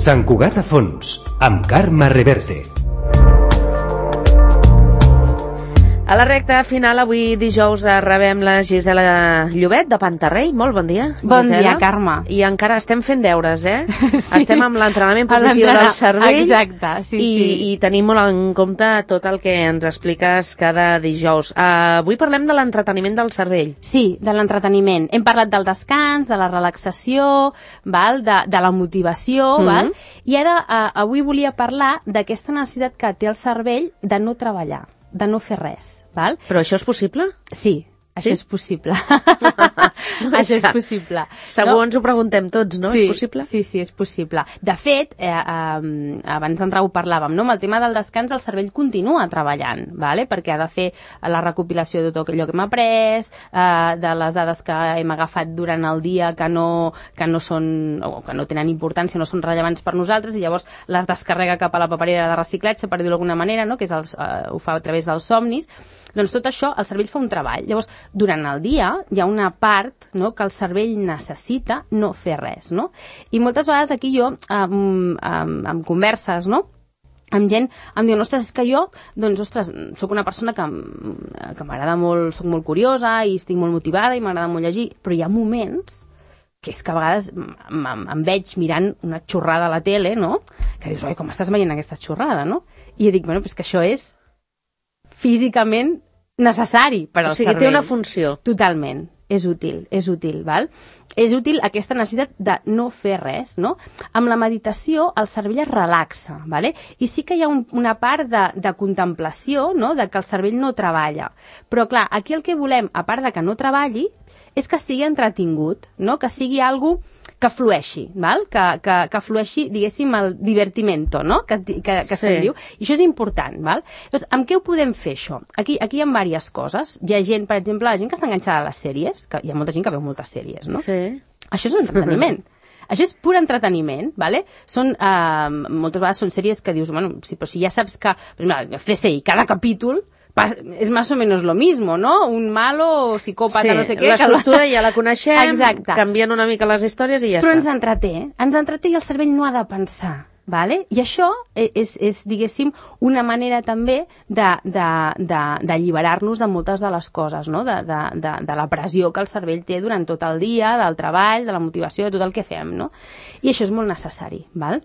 Sant Cugat a fons, amb Carme Reverte. A la recta final, avui dijous, rebem la Gisela Llobet de Pantarrei. Molt bon dia, Gisela. Bon dia, Carme. I encara estem fent deures, Sí. Estem amb l'entrenament positiu del cervell. Exacte, sí. I tenim molt en compte tot el que ens expliques cada dijous. Avui parlem de l'entreteniment del cervell. Sí, de l'entreteniment. Hem parlat del descans, de la relaxació, de la motivació, val? I ara avui volia parlar d'aquesta necessitat que té el cervell de no treballar, de no fer res, val? Però això és possible? Sí, això és possible. Això és possible. Segur ens ho preguntem tots, no? Sí, És possible? Sí, és possible. De fet, abans d'entrar ho parlàvem, no? Amb el tema del descans el cervell continua treballant, vale? Perquè ha de fer la recopilació de tot allò que hem après, de les dades que hem agafat durant el dia que no són, o que no tenen importància, no són rellevants per nosaltres, i llavors les descarrega cap a la paperera de reciclatge, per dir-ho d'alguna manera, no? Que és ho fa a través dels somnis. Doncs tot això, el cervell fa un treball. Llavors, durant el dia hi ha una part, no, que el cervell necessita no fer res, no? I moltes vegades aquí jo, amb converses, no?, amb gent, em diuen, ostres, és que jo, doncs, ostres, sóc una persona que m'agrada molt, sóc molt curiosa i estic molt motivada i m'agrada molt llegir, però hi ha moments que és que a vegades em veig mirant una xorrada a la tele, no?, que dius, oi, com estàs veient aquesta xorrada, no? I jo dic, bueno, però és que això és físicament necessari per al cervell. O sigui, té una funció. Totalment. És útil, val? És útil aquesta necessitat de no fer res, no? Amb la meditació el cervell es relaxa, vale? I sí que hi ha una part de contemplació, no?, de que el cervell no treballa. Però clar, aquí el que volem, a part de que no treballi, és que estigui entretingut, no?, que sigui algo que flueixi, val? Que flueixi, diguéssim, el divertimento, no?, que se'n diu. I això és important, val? Llavors, amb què ho podem fer, això? Aquí hi ha diverses coses. Hi ha gent, per exemple, la gent que està enganxada a les sèries, que hi ha molta gent que veu moltes sèries, no? Sí. Això és un entreteniment. Això és pur entreteniment, ¿vale? Moltes vegades són sèries que dius, bueno, però si ja saps que, per exemple, el CSI, cada capítol és más o menos lo mismo, ¿no? Un malo, psicòpata, no sé què. L'estructura ja la coneixem, exacte, canvien una mica les històries i ja però està. Però ens entreté i el cervell no ha de pensar. Vale? I això és, diguéssim, una manera també d'alliberar-nos de moltes de les coses, no? De la pressió que el cervell té durant tot el dia, del treball, de la motivació, de tot el que fem, no? I això és molt necessari, val?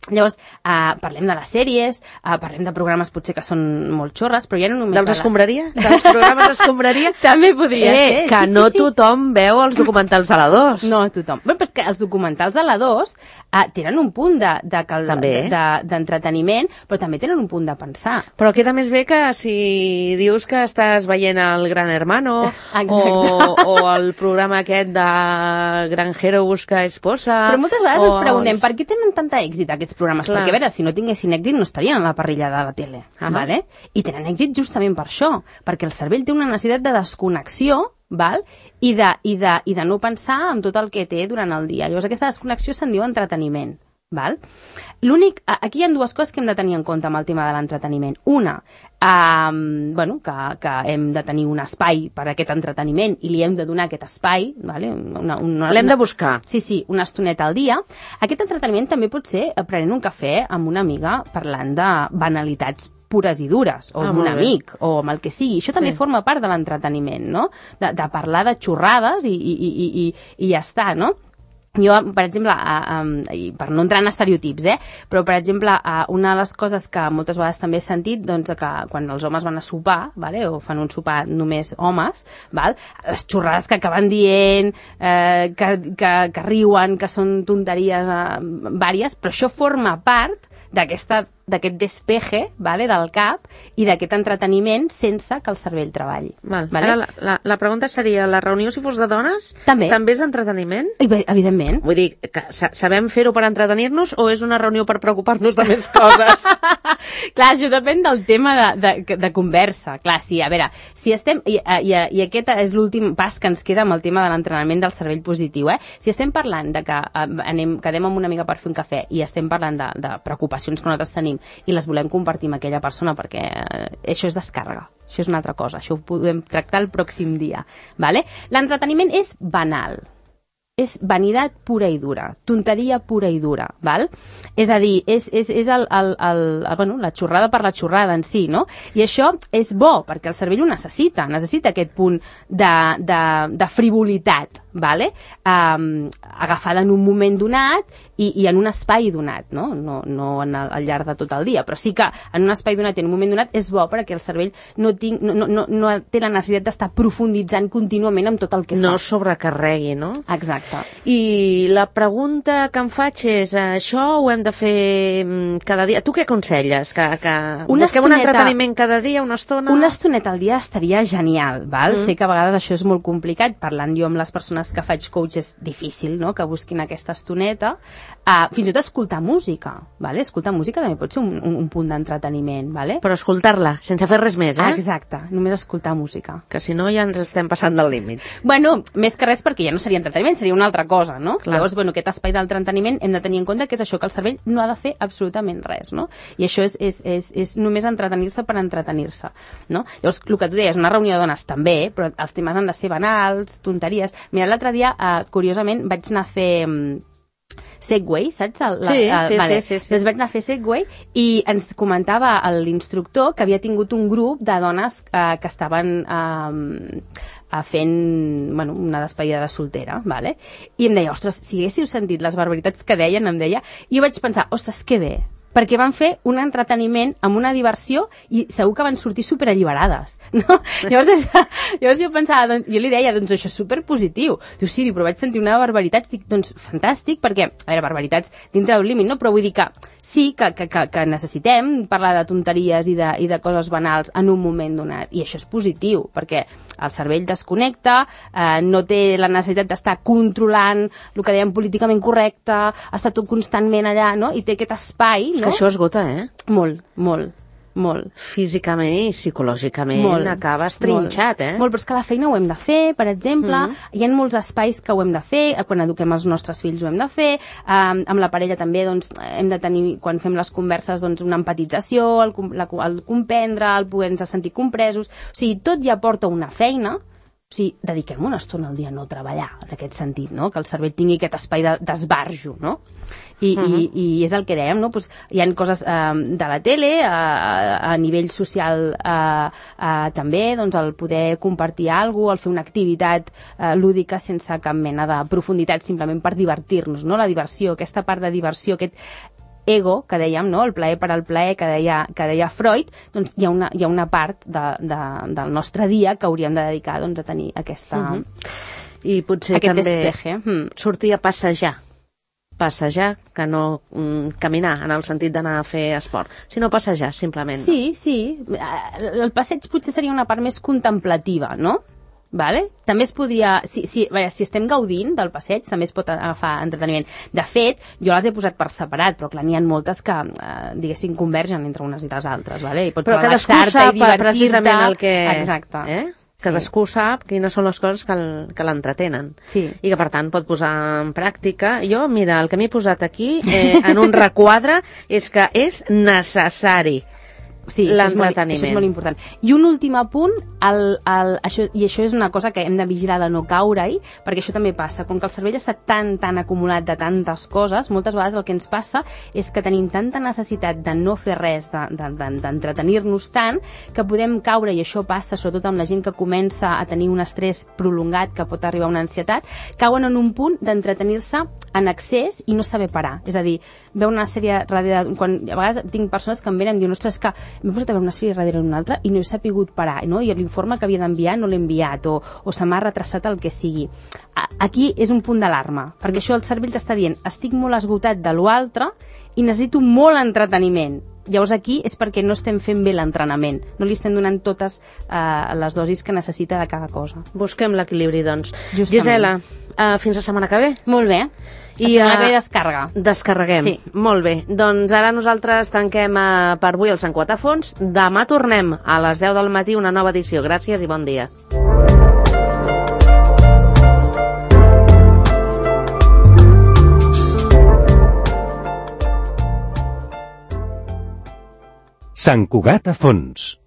Llavors, parlem de les sèries, parlem de programes potser que són molt xorres, però ja no només... Dels escombraria? Dels programes d'escombraria? També podria ser. Que no tothom veu els documentals de la 2. No tothom. Bé, però és que els documentals de la 2 tenen un punt d'entreteniment, però també tenen un punt de pensar. Però queda més bé que si dius que estàs veient el Gran Hermano o el programa aquest de Granjero busca esposa... Però moltes vegades ens preguntem per què tenen tanta èxit aquests programes? Clar. Perquè, a veure, si no tinguessin èxit no estarien a la parrilla de la tele, vale? I tenen èxit justament per això, perquè el cervell té una necessitat de desconnexió, val? I de no pensar en tot el que té durant el dia. Llavors aquesta desconnexió se'n diu entreteniment. Val? Aquí hi ha dues coses que hem de tenir en compte amb el tema de l'entreteniment. Una, que hem de tenir un espai per a aquest entreteniment i li hem de donar aquest espai, vale? L'hem de buscar. Sí, una estoneta al dia. Aquest entreteniment també pot ser prenent un cafè amb una amiga parlant de banalitats pures i dures, o amb un amic, o amb el que sigui. Això també forma part de l'entreteniment, no? De parlar de xorrades i ja està, no? Jo, per exemple, per no entrar en estereotips, però, per exemple, una de les coses que moltes vegades també he sentit, doncs, que quan els homes van a sopar, vale, o fan un sopar només homes, val, les xorrades que acaben dient, que riuen, que són tonteries vàries, però això forma part d'aquest despeje, vale, del cap i d'aquest entreteniment sense que el cervell treballi. Vale? Ara la pregunta seria, la reunió si fos de dones també és entreteniment? Evidentment. Vull dir, que sabem fer-ho per entretenir-nos o és una reunió per preocupar-nos de més coses? Clar, això depèn del tema de conversa. Clar, sí, a veure, si estem... I aquest és l'últim pas que ens queda amb el tema de l'entrenament del cervell positiu, Si estem parlant de que quedem amb una amiga per fer un cafè i estem parlant de preocupacions que nosaltres tenim i les volem compartir amb aquella persona perquè això és descàrrega, això és una altra cosa, això ho podem tractar el pròxim dia, vale? L'entreteniment és banal, és vanitat pura i dura, tonteria pura i dura, val? És a dir, és la xorrada per la xorrada en si, no? I això és bo, perquè el cervell ho necessita aquest punt de frivolitat, vale? Agafada en un moment donat i en un espai donat, no? No al llarg de tot el dia, però sí que en un espai donat i en un moment donat és bo perquè el cervell no té la necessitat d'estar profunditzant contínuament amb tot el que fa. No sobrecarregui, no? Exacte. I la pregunta que em faig és, això ho hem de fer cada dia? Tu què aconselles? Que busquem un entreteniment cada dia, una estona? Una estoneta al dia estaria genial, val? Sé que a vegades això és molt complicat, parlant jo amb les persones que faig coach és difícil, no?, que busquin aquesta estoneta. Fins i tot escoltar música, vale? Escoltar música també pot ser un punt d'entreteniment, vale? Però escoltar-la, sense fer res més, Exacte, només escoltar música. Que si no ja ens estem passant del límit. Bueno, més que res perquè ja no seria entreteniment, seria una altra cosa, no? Clar. Llavors, aquest espai d'entreteniment hem de tenir en compte que és això, que el cervell no ha de fer absolutament res, no? I això és només entretenir-se per entretenir-se, no? Llavors, el que tu deies, una reunió de dones també, però els temes han de ser banals, tonteries. Mira, l'altre dia, curiosament, vaig anar a fer Segway, saps? Sí. Doncs vaig anar a fer Segway i ens comentava l'instructor que havia tingut un grup de dones que estaven fent una despedida de soltera, vale? I em deia, ostres, si haguéssiu sentit les barbaritats que deien, em deia, i jo vaig pensar, ostres, que bé, perquè van fer un entreteniment amb una diversió i segur que van sortir superalliberades, no? Llavors jo pensava, jo li deia, doncs això és superpositiu. Diu, sí, però vaig sentir una barbaritat, dic, doncs fantàstic, perquè, a veure, barbaritats dintre d'un límit, no? Però vull dir que sí, que necessitem parlar de tonteries i de coses banals en un moment donat, i això és positiu, perquè el cervell desconnecta, no té la necessitat d'estar controlant el que dèiem políticament correcte, està tot constantment allà, no? I té aquest espai, és que això esgota, Molt. Físicament i psicològicament acabes trinxat, Molt, però és que la feina ho hem de fer, per exemple, hi ha molts espais que ho hem de fer, quan eduquem els nostres fills ho hem de fer, amb la parella també doncs, hem de tenir, quan fem les converses, doncs, una empatització, el comprendre, el poder-nos sentir compresos, o sigui, tot ja porta una feina. O sigui, dediquem una estona al dia a no treballar, en aquest sentit, no? Que el cervell tingui aquest espai d'esbarjo, no? I és el que dèiem, no? Pues hi ha coses de la tele, a nivell social també, doncs el poder compartir alguna cosa, el fer una activitat lúdica sense cap mena de profunditat, simplement per divertir-nos, no? La diversió, aquesta part de diversió, aquest ego, que dèiem, no? El plaer per al plaer, que deia Freud, doncs hi ha una part del nostre dia que hauríem de dedicar doncs, a tenir aquesta... I potser aquest també despeje. Sortir a passejar, que no caminar, en el sentit d'anar a fer esport, sinó passejar, simplement. Sí. El passeig potser seria una part més contemplativa, no? Vale? També es podria, si estem gaudint del passeig, també es pot agafar entreteniment. De fet, jo les he posat per separat, però clar, n'hi ha moltes que, diguéssim, convergen entre unes i les altres, vale? I pots relaxar-te i divertir-te. Precisament el que... Exacte. Cadascú sap quines són les coses que l'entretenen. Sí. I que, per tant, pot posar en pràctica. Jo, mira, el que m'he posat aquí, en un requadre, és que és necessari. Sí, l'entreteniment. Això és molt important. I un últim apunt, això és una cosa que hem de vigilar de no caure-hi, perquè això també passa. Com que el cervell està tan acumulat de tantes coses, moltes vegades el que ens passa és que tenim tanta necessitat de no fer res, d'entretenir-nos tant, que podem caure, i això passa sobretot amb la gent que comença a tenir un estrès prolongat que pot arribar a una ansietat, cauen en un punt d'entretenir-se en excés i no saber parar. És a dir, veu una sèrie darrere... A vegades tinc persones que em venen i diuen, ostres, que m'he posat a veure una sèrie darrere d'una altra i no he sapigut parar, no? I l'informe que havia d'enviar no l'he enviat, o se m'ha retrasat el que sigui. Aquí és un punt d'alarma, perquè això el cervell t'està dient, estic molt esgotat de l'altre i necessito molt entreteniment. Llavors aquí és perquè no estem fent bé l'entrenament, no li estem donant totes les dosis que necessita de cada cosa. Busquem l'equilibri, doncs. Justament. Gisela, fins la setmana que ve. Molt bé. La setmana que ve descarga. Descarreguem. Sí. Molt bé. Doncs ara nosaltres tanquem per avui el Sant Quatre a Fons. Demà tornem a les 10 del matí, una nova edició. Gràcies i bon dia. Sant Cugat a Fons.